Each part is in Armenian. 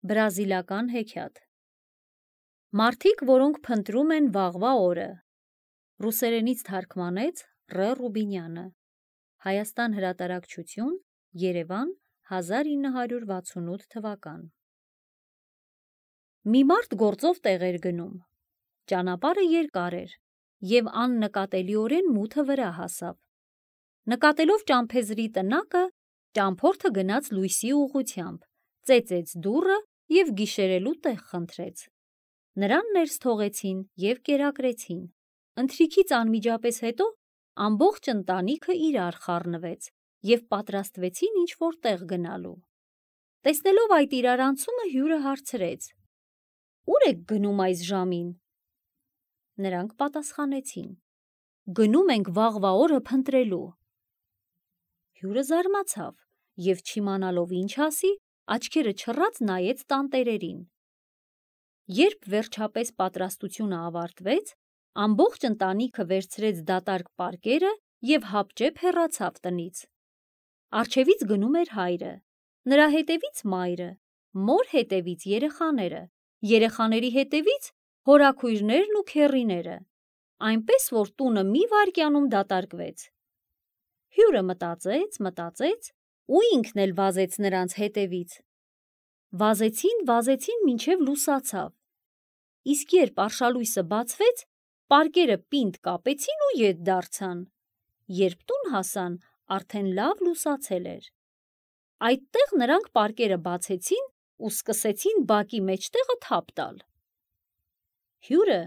Բրազիլական հեքիաթ։ Մարդիկ, որոնք փնտրում են վաղվա օրը։ Ռուսերենից թարգմանեց Ռ. Ռուբինյանը։ Հայաստան հրատարակչություն, Երևան, 1968 թվական։ Մի մարդ գործով տեղ էր գնում։ Ճանապարհը երկար էր և աննկատելիորեն մութը վրա հասավ։ Նկատելով ճամփեզրի տնակը, ճամփորդը գնաց լույսի ուղղությամբ, ծեծեց դուռը և գիշերելու տեղ խնդրեց։ Նրան ներս թողեցին և կերակրեցին։ Ընթրիքից անմիջապես հետո ամբողջ ընտանիքը իրար խառնվեց և պատրաստվեցին ինչ-որ տեղ գնալու։ Տեսնելով այդ իրարանցումը, հյուրը հարցրեց. «Ո՞ւր եք գնում այս ժամին»։ Նրանք պատասխանեցին. «Գնում ենք վաղվա օրը փնտրելու»։ Հյուրը զարմացավ և չիմանալով ինչ ասի, աչքերը չռած նայեց տանտերերին։ Երբ վերջապես պատրաստությունը ավարտվեց, ամբողջ ընտանիքը վերցրեց դատարկ պարկերը և հապճեպ հեռացավ տնից։ Առջևից գնում էր հայրը, նրա հետևից մայրը, մոր հետևից երեխաները, երեխաների հետևից հորաքույրներն ու քեռիները, այնպես որ տունը մի վայրկյանում դատարկվեց։ Հյուրը մտածեց ու ինքն էլ վազեց նրանց հետևից։ Վազեցին մինչև լուսացավ, իսկ երբ արշալույսը բացվեց, պարկերը պինդ կապեցին ու ետ դարձան։ Երբ տուն հասան, արդեն լավ լուսացել էր։ Այդտեղ նրանք պարկերը բացեցին ու սկսեցին բակի մեջտեղը թափ տալ։ Հյուրը,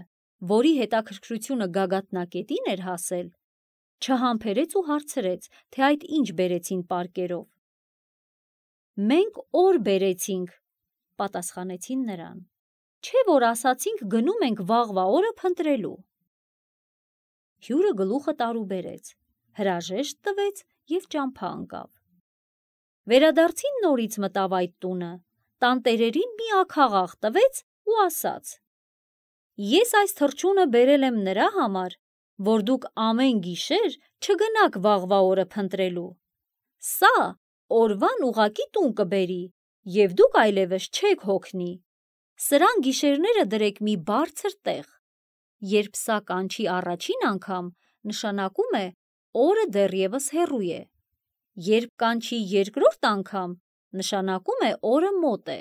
որի հետաքրքրությունը գագաթնակետին էր հասել, չհամբերեց ու հարցրեց, թե այդ ինչ բերեցին պարկերով։ «Մենք օր բերեցինք», պատասխանեցին նրան, «չէ՞ որ ասացինք գնում ենք վաղվա օրը փնտրելու»։ Հյուրը գլուխը տարուբերեց, հրաժեշտ տվեց և ճամփա ընկավ։ Վերադարձին նորից մտավ այդ տունը, տանտերերին մի աքաղաղ տվեց ու ասաց. «Ես այս թռչունը բերել եմ նրա համար, որ դուք ամեն գիշեր չգնաք վաղվա օրը փնտրելու։ Սա օրվան ուղղակի տուն կբերի, և դուք այլևս չեք հոգնի։ Սրան գիշերները դրեք մի բարձր տեղ։ Երբ սա կանչի առաջին անգամ, նշանակում է օրը դեռևս հեռու է։ Երբ կանչի երկրորդ անգամ, նշանակում է օրը մոտ է։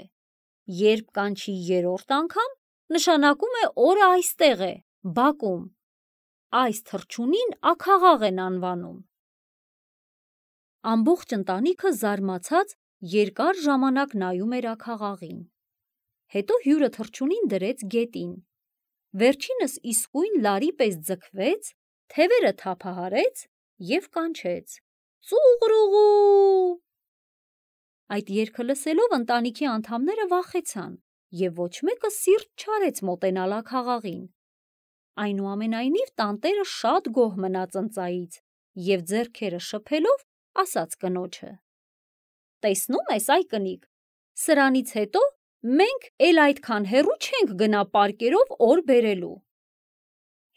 Երբ կանչի երրորդ անգամ, նշանակում է օրը այստեղ է, բակում։ Այս թռչունին աքաղաղ են անվանում»։ Ամբողջ ընտանիքը զարմացած երկար ժամանակ նայում էր աքաղաղին։ Հետո հյուրը թռչունին դրեց գետին։ Վերջինս իսկույն լարի պես ձգվեց, թևերը թափահարեց և կանչեց. «Ծուղռուղու»։ Այդ երգը լսելով ընտանիքի անդամները վախեցան և ոչ մեկը սիրտ չարեց մոտենալ աքաղաղին։ Այնուամենայնիվ տանտերը շատ գոհ մնաց ընծայից և ձեռքերը շփելով ասաց կնոջը. «Տեսնո՞ւմ ես, այ կնիկ, սրանից հետո մենք էլ այդքան հեռու չենք գնա պարկերով օր բերելու»։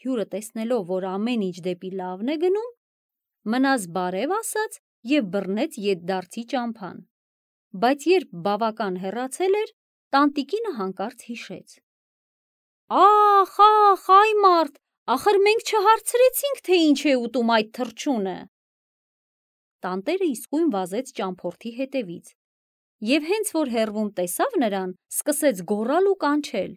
Հյուրը տեսնելով, որ ամեն ինչ դեպի լավն է գնում, մնաց բարև ասաց և բռնեց ետդարձի ճամփան։ Բայց երբ բավական հեռացել էր, տանտիկինը հանկարծ հիշեց. «Ախ, այ մարդ, ախր մենք չհարցրեցինք, թե ինչ է ուտում այդ թռչունը»։ Տանտերը իսկույն վազեց ճամփորդի հետևից և հենց որ հեռվում տեսավ նրան, սկսեց գոռալ ու կանչել.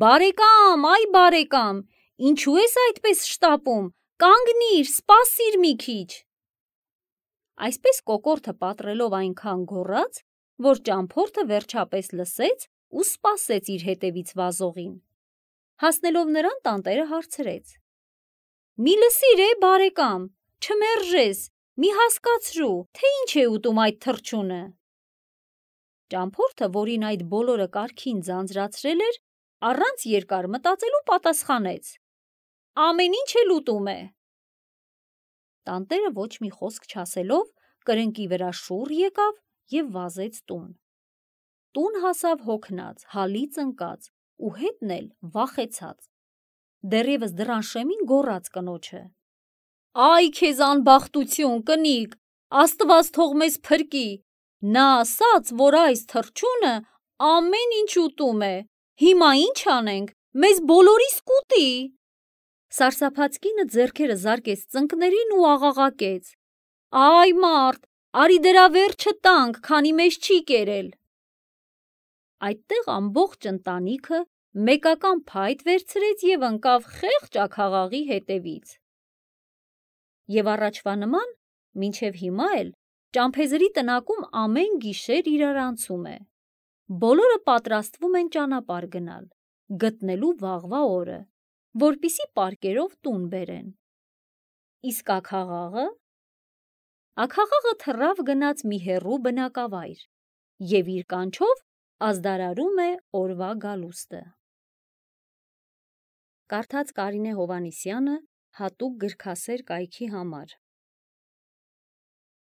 «Բարեկամ, այ բարեկամ, ինչու ես այդպես շտապում, կանգնիր, սպասիր մի քիչ»։ Այսպես կոկորդը պատռելով այնքան գոռաց, որ ճամփորդը վերջապես լսեց ու սպասեց իր հետևից վազողին։ Հասնելով նրան, տանտերը հարցրեց. «Մի լսիր, բարեկամ, չմերժես, մի հասկացրու, թե ինչ է ուտում այդ թռչունը»։ Ճամփորդը, որին այդ բոլորը կարգին ձանձրացրել էր, առանց երկար մտածելու պատասխանեց. «Ամեն ինչ էլ ուտում է»։ Տանտերը ոչ մի խոսք չասելով, կրկնակի վրա շուռ եկավ և վազեց տուն։ Տուն հասավ հոգնած, հալից ընկած ու հետն էլ վախեցած։ Դեռևս դռան շեմին գոռաց կնոջը. «Այ քեզ անբախտություն, կնիկ, Աստված թող մեզ փրկի, նա ասաց, որ այս թռչունը ամեն ինչ ուտում է, հիմա ինչ անենք, մեզ բոլորիս կուտի։ Սարսափած կինը ձեռքերը զարկեց ծնկներին ու աղաղակեց. Այ մարդ, արի դրա վերջը տանք, քանի մեզ չի կերել։ Այդտեղ ամբողջ ընտանիքը մեկական փայտ վերցրեց եւ ընկավ խեղճ աքաղաղի հետևից։ Եվ առաջվա նման, մինչև հիմա էլ ճամփեզրի տնակում ամեն գիշեր իրարանցում է։ Բոլորը պատրաստվում են ճանապարհ գնալ, գտնելու վաղվա օրը, որպիսի պարկերով տուն բերեն։ Իսկ աքաղաղը թռավ գնաց մի հեռու բնակավայր եւ իր կանչով ազդարարում է օրվա գալուստը։ Կարդաց Կարինե Հովհաննիսյանը հատուկ գրքասեր կայքի համար։